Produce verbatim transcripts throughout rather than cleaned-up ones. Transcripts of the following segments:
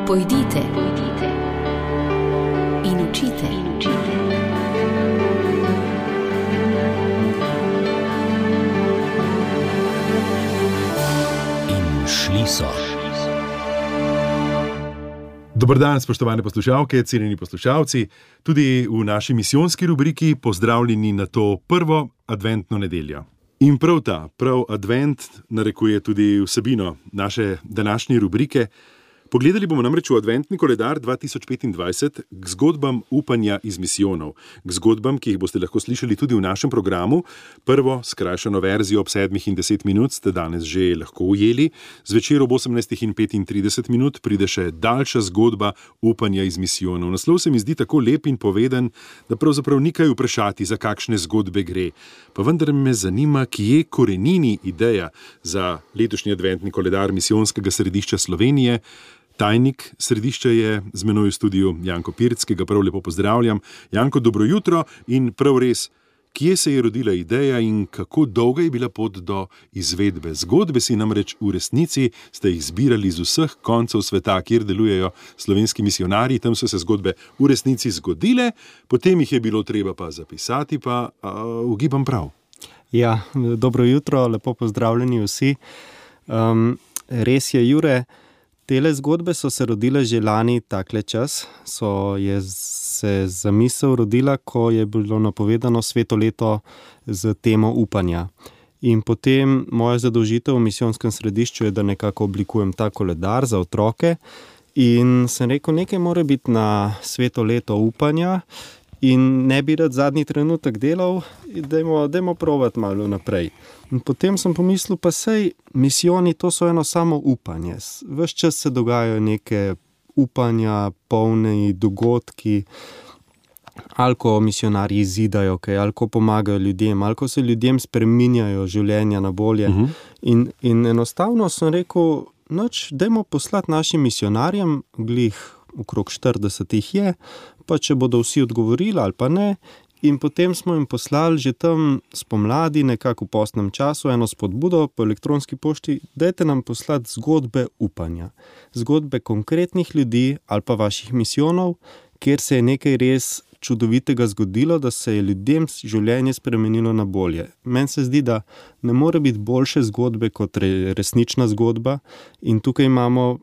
Pojdite, pojdite in učite, in učite. In šli so. Dober dan, spoštovane poslušalke, cenjeni poslušalci. Tudi v naši misijonski rubriki pozdravljeni na to prvo adventno nedeljo. In prav ta, prav advent narekuje tudi vsebino naše današnje rubrike. Pogledali bomo namreč v adventni koledar dva tisoč petindvajset k zgodbam upanja iz misijonov, k zgodbam, ki jih boste lahko slišali tudi v našem programu. Prvo skrajšano verzijo ob sedmih in deset minut ste danes že lahko ujeli, zvečer ob osemnajstih in petintrideset minut pride še daljša zgodba upanja iz misijonov. Naslov se mi zdi tako lep in poveden, da pravzaprav ni kaj vprašati, za kakšne zgodbe gre. Pa vendar me zanima, kje korenini ideja za letošnji adventni koledar misijonskega središča Slovenije. Tajnik središča je z menoj v studiu Janko Pirc, ki ga prav lepo pozdravljam. Janko, dobro jutro in prav res, kje se je rodila ideja in kako dolga je bila pot do izvedbe? Zgodbe si namreč v resnici ste jih zbirali z vseh koncev sveta, kjer delujejo slovenski misijonarji, tam so se zgodbe v resnici zgodile, potem jih je bilo treba pa zapisati, pa uh, ugibam prav. Ja, dobro jutro, lepo pozdravljeni vsi. Um, res je, Jure, tele zgodbe so se rodile že lani takle čas, so je se zamisel rodila, ko je bilo napovedano sveto leto z temo upanja. In potem moja zadolžitev v misijonskem središču je, da nekako oblikujem ta koledar za otroke in sem rekel, nekaj mora biti na sveto leto upanja in ne bi rad zadnji trenutek delal, dajmo, dajmo provat malo naprej. In potem sem pomislil, pa sej misijoni, to so eno samo upanje. Ves čas se dogajajo neke upanja, polne dogodki, ali ko misijonarji izidajo, okay, ali ko pomagajo ljudem, ali ko se ljudem spreminjajo življenja na bolje. Uh-huh. In, in enostavno sem rekel, noč, dajmo poslati našim misijonarjem, glih okrog štirideset jih je, pa če bodo vsi odgovorili ali pa ne. In potem smo jim poslali že tam spomladi, nekako v postnem času, eno spodbudo po elektronski pošti, dajte nam poslati zgodbe upanja. Zgodbe konkretnih ljudi ali pa vaših misijonov, kjer se je nekaj res čudovitega zgodilo, da se je ljudem življenje spremenilo na bolje. Meni se zdi, da ne more biti boljše zgodbe kot resnična zgodba in tukaj imamo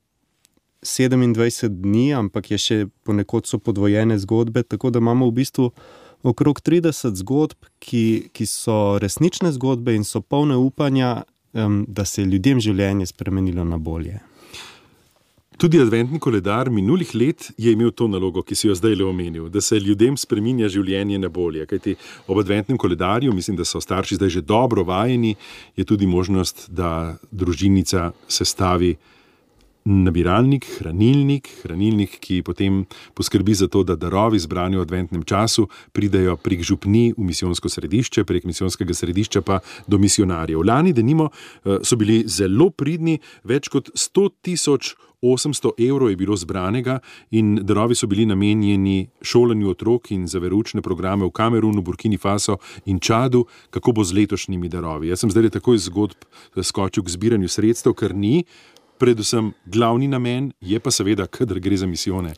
sedemindvajset dni, ampak je še ponekod so podvojene zgodbe, tako da imamo v bistvu okrog trideset zgodb, ki, ki so resnične zgodbe in so polne upanja, um, da se je ljudem življenje spremenilo na bolje. Tudi adventni koledar minulih let je imel to nalogo, ki si jo zdaj le omenil, da se ljudem spreminja življenje na bolje. Kajti ob adventnem koledarju, mislim, da so starši zdaj že dobro vajeni, je tudi možnost, da družinica sestavi nabiralnik, hranilnik, hranilnik, ki potem poskrbi za to, da darovi zbrani v adventnem času pridejo prek župni v misijonsko središče, prek misijonskega središča pa do misijonarjev. Lani denimo so bili zelo pridni, več kot sto tisoč osemsto evrov je bilo zbranega in darovi so bili namenjeni šolanju otrok in za veroučne programe v Kamerunu, Burkini Faso in Čadu. Kako bo z letošnjimi darovi? Jaz sem zdaj takoj zgodb skočil k zbiranju sredstev, ker ni predvsem glavni namen, je pa seveda, kadar gre za misijone,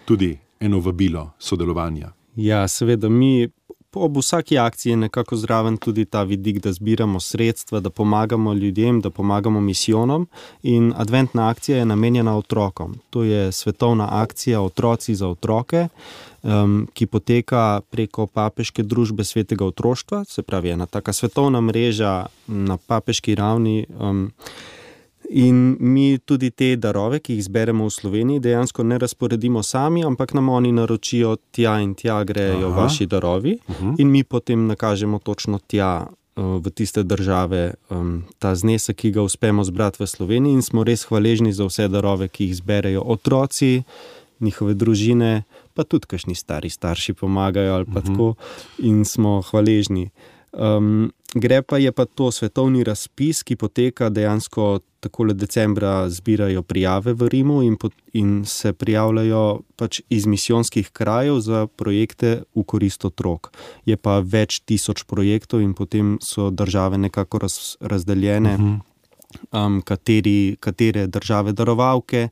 tudi eno vabilo sodelovanja. Ja, seveda, mi ob vsaki akciji je nekako zraven tudi ta vidik, da zbiramo sredstva, da pomagamo ljudem, da pomagamo misijonom in adventna akcija je namenjena otrokom. To je svetovna akcija Otroci za otroke, um, ki poteka preko papeške družbe svetega otroštva, se pravi ena taka svetovna mreža na papeški ravni. Um, In mi tudi te darove, ki jih zberemo v Sloveniji, dejansko ne razporedimo sami, ampak nam oni naročijo tja in tja grejo Aha. vaši darovi uh-huh. in mi potem nakažemo točno tja v tiste države um, ta znesek, ki ga uspemo zbrati v Sloveniji in smo res hvaležni za vse darove, ki jih zberejo otroci, njihove družine, pa tudi kakšni stari starši pomagajo ali pa uh-huh. tako in smo hvaležni. Um, gre pa je pa to svetovni razpis, ki poteka dejansko takole decembra, zbirajo prijave v Rimu in, pot, in se prijavljajo pač iz misijonskih krajev za projekte v korist otrok. Je pa več tisoč projektov in potem so države nekako raz, razdeljene, uh-huh. um, kateri, katere države darovalke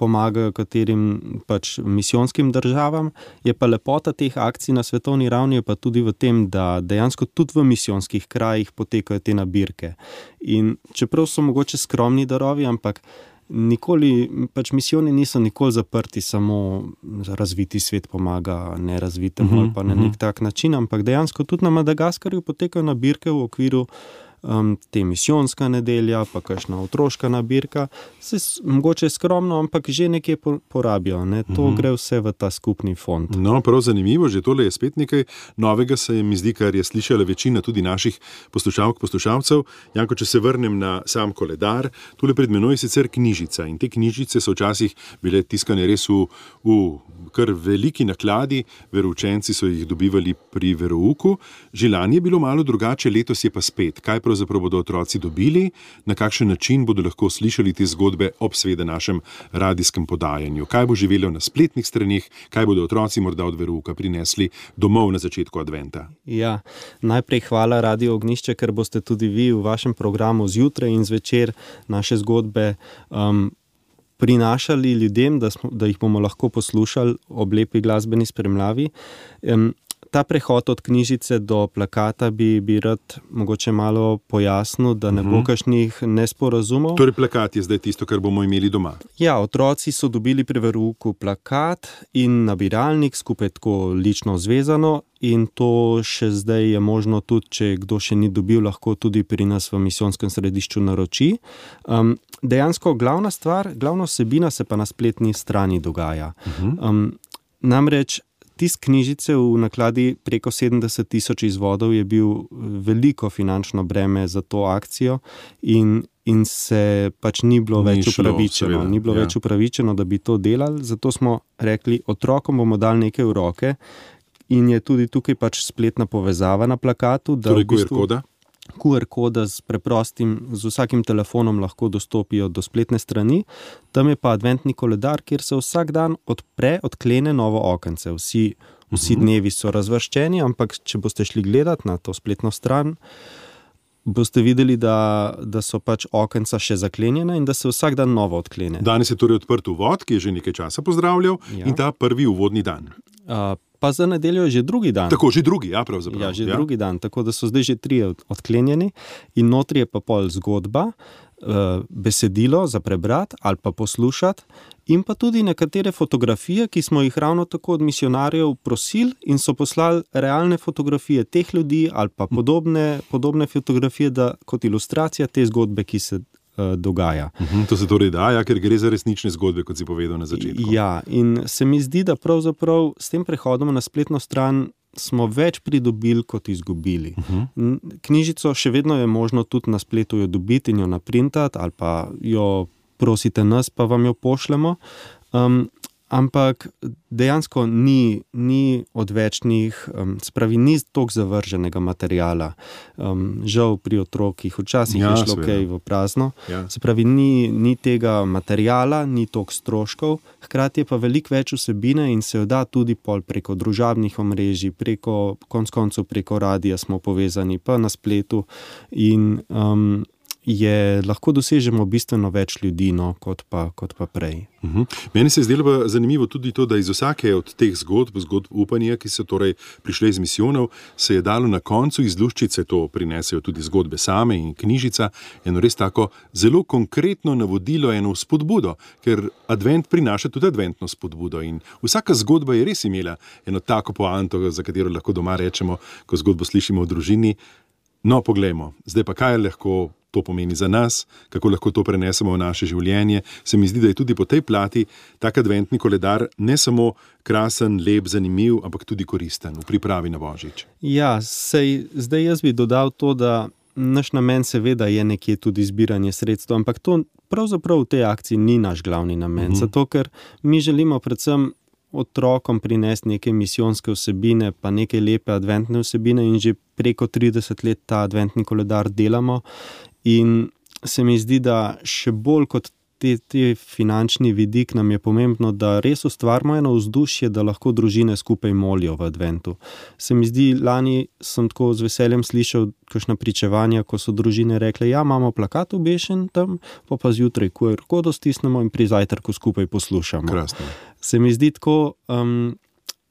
pomagajo katerim pač misijonskim državam. Je pa lepota teh akcij na svetovni ravni je pa tudi v tem, da dejansko tudi v misijskih krajih potekajo te nabirke. In čeprav so mogoče skromni darovi, ampak nikoli, pač misijoni niso nikoli zaprti, samo razviti svet pomaga nerazvitemu uh-huh, ali pa na nek tak način, ampak dejansko tudi na Madagaskarju potekajo nabirke v okviru Um, te misijska nedelja, pa kakšna otroška nabirka, se mogoče skromno, ampak že nekje porabijo. Ne? To uh-huh. gre vse v ta skupni fond. No, prav zanimivo, že tole je spet nekaj novega, se mi zdi, kar je slišala večina tudi naših poslušalk, poslušalcev. Janko, če se vrnem na sam koledar, tule pred menoj je sicer knjižica in te knjižice so včasih bile tiskane res v, v kar veliki nakladi, veroučenci so jih dobivali pri verouku. Že lani je bilo malo drugače, letos je pa spet. Kaj pravzaprav bodo otroci dobili, na kakšen način bodo lahko slišali te zgodbe ob seveda našem radijskem podajanju? Kaj bo živelo na spletnih stranih, kaj bodo otroci morda od verouka prinesli domov na začetku adventa? Ja, najprej hvala Radio Ognjišče, ker boste tudi vi v vašem programu zjutraj in zvečer naše zgodbe um, prinašali ljudem, da, smo, da jih bomo lahko poslušali ob lepi glasbeni spremljavi. Um, Ta prehod od knjižice do plakata bi, bi rad mogoče malo pojasnil, da ne bo kakšnih nesporazumov. Torej plakat je zdaj tisto, kar bomo imeli doma. Ja, otroci so dobili pri verouku plakat in nabiralnik skupaj tako lično zvezano in to še zdaj je možno tudi, če kdo še ni dobil, lahko tudi pri nas v misijonskem središču naroči. Um, dejansko glavna stvar, glavna vsebina se pa na spletni strani dogaja. Um, namreč tisk knjižice v nakladi preko sedemdeset tisoč izvodov je bil veliko finančno breme za to akcijo in, in se pač ni bilo ni več upravičeno. Šlo, ni bilo ja. več upravičeno, da bi to delali, zato smo rekli, otrokom bomo dali nekaj v roke in je tudi tukaj pač spletna povezava na plakatu. Da torej v bistvu, Q R koda? Q R koda z preprostim, z vsakim telefonom lahko dostopijo do spletne strani. Tam je pa adventni koledar, kjer se vsak dan odpre, odklene novo okence. Vsi, vsi dnevi so razvrščeni, ampak če boste šli gledati na to spletno stran, boste videli, da, da so pač okenca še zaklenjena in da se vsak dan novo odklene. Danes je torej odprt uvod, ki je že nekaj časa pozdravljal ja. in ta prvi uvodni dan. Uh, Pa za nedeljo je že drugi dan. Tako, že drugi, ja, pravzaprav. Ja, že ja. drugi dan, tako da so zdaj že trije odklenjeni in notri je pa pol zgodba, besedilo za prebrati ali pa poslušati in pa tudi nekatere fotografije, ki smo jih ravno tako od misionarjev prosili in so poslali realne fotografije teh ljudi ali pa podobne, podobne fotografije da, kot ilustracija te zgodbe, ki se dogaja. Uhum, to se torej da, ja, ker gre za resnične zgodbe, kot si povedal na začetku. Ja, in se mi zdi, da pravzaprav s tem prehodom na spletno stran smo več pridobili, kot izgubili. Uh-huh. Knjižico še vedno je možno tudi na spletu jo dobiti in jo naprintati, ali pa jo prosite nas, pa vam jo pošljemo. Um, ampak dejansko ni, ni odvečnih, um, spravi, ni toliko zavrženega materiala. Um, žal pri otrokih, včasih ja, je šlo kaj v prazno. Ja. Se pravi, ni, ni tega materiala, ni toliko stroškov, hkrati je pa veliko več vsebine in se jo da tudi pol preko družabnih omrežij, preko, konc koncev preko radija smo povezani, pa na spletu in um, je, lahko dosežemo bistveno več ljudi, no, kot pa, kot pa prej. Uhum. Meni se je zdelo pa zanimivo tudi to, da iz vsake od teh zgodb, zgodb upanja, ki so torej prišle iz misijonov, se je dalo na koncu iz luščice, to prinesejo tudi zgodbe same in knjižica, eno res tako zelo konkretno navodilo, eno spodbudo, ker advent prinaša tudi adventno spodbudo in vsaka zgodba je res imela eno tako poanto, za katero lahko doma rečemo, ko zgodbo slišimo v družini. No, poglejmo, zdaj pa kaj lahko to pomeni za nas, kako lahko to prenesemo v naše življenje. Se mi zdi, da je tudi po tej plati tak adventni koledar ne samo krasen, lep, zanimiv, ampak tudi koristen v pripravi na Božič. Ja, sej, zdaj jaz bi dodal to, da naš namen seveda je nekje tudi zbiranje sredstev, ampak to pravzaprav v tej akciji ni naš glavni namen, mhm. zato ker mi želimo predvsem otrokom prinesti neke misijonske vsebine, pa neke lepe adventne vsebine in že preko trideset let ta adventni koledar delamo in se mi zdi, da še bolj kot te, te finančni vidik nam je pomembno, da res ustvarimo eno vzdušje, da lahko družine skupaj molijo v adventu. Se mi zdi, lani sem tako z veseljem slišal kakšna pričevanja, ko so družine rekle, ja, imamo plakat obešen tam, pa pa zjutraj Q R kodo stisnemo in pri zajtrku skupaj poslušamo. Krasno. Se mi zdi tako um,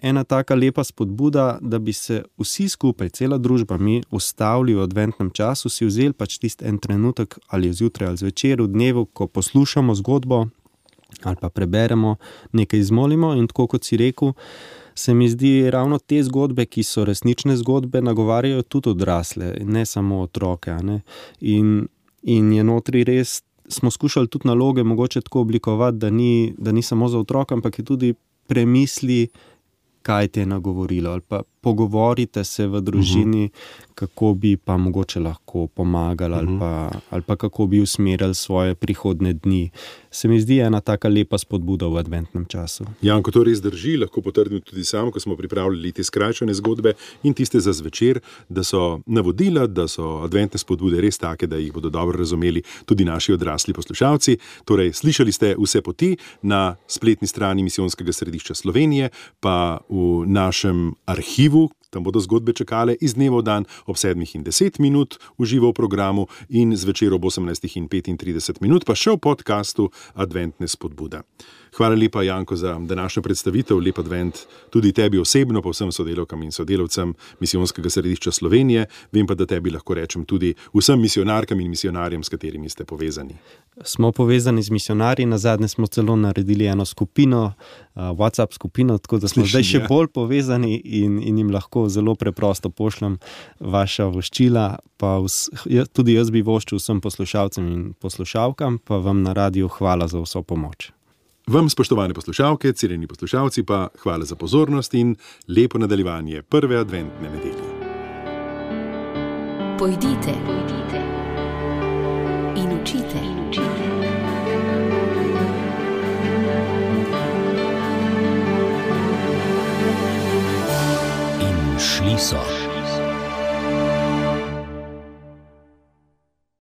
ena taka lepa spodbuda, da bi se vsi skupaj, cela družba, mi ustavili v adventnem času, si vzeli pač tisti en trenutek ali zjutraj ali zvečer v dnevu, ko poslušamo zgodbo ali pa preberemo, nekaj izmolimo in tako kot si rekel, se mi zdi ravno te zgodbe, ki so resnične zgodbe, nagovarjajo tudi odrasle, ne samo otroke. Ne? In, in je notri res, smo skušali tudi naloge mogoče tako oblikovati, da ni, da ni samo za otroka, ampak je tudi premisli, kaj te je nagovorilo, ali pa pogovorite se v družini, uh-huh. kako bi pa mogoče lahko pomagali, uh-huh. ali, pa, ali pa kako bi usmerjali svoje prihodne dni. Se mi zdi ena taka lepa spodbuda v adventnem času. Janko, to res drži, lahko potrdim tudi sam, ko smo pripravljali te skrajšane zgodbe in tiste za zvečer, da so navodila, da so adventne spodbude res take, da jih bodo dobro razumeli tudi naši odrasli poslušalci. Torej, slišali ste vse poti na spletni strani Misijonskega središča Slovenije, pa v našem arhivu, tam bodo zgodbe čakale iz dneva v dan ob sedmih in deset minut v živo v programu in zvečer ob osemnajstih in petintrideset minut, pa še v podcastu Adventne spodbude. Hvala lepa, Janko, za današnjo predstavitev, lep advent tudi tebi osebno, pa vsem sodelavkam in sodelavcem Misijonskega središča Slovenije. Vem pa, da tebi lahko rečem tudi vsem misionarkam in misionarjem, s katerimi ste povezani. Smo povezani z misionarji, nazadnje smo celo naredili eno skupino, uh, WhatsApp skupino, tako da smo Slišim, zdaj še ja. bolj povezani in, in jim lahko zelo preprosto pošljem vaša voščila, pa vs, tudi jaz bi voščil vsem poslušalcem in poslušalkam, pa vam na radiju hvala za vso pomoč. Vam, spoštovane poslušalke, cenjeni poslušalci, pa hvala za pozornost in lepo nadaljevanje prve adventne nedelje. Pojdite, pojdite in učite, in učite. In šli so.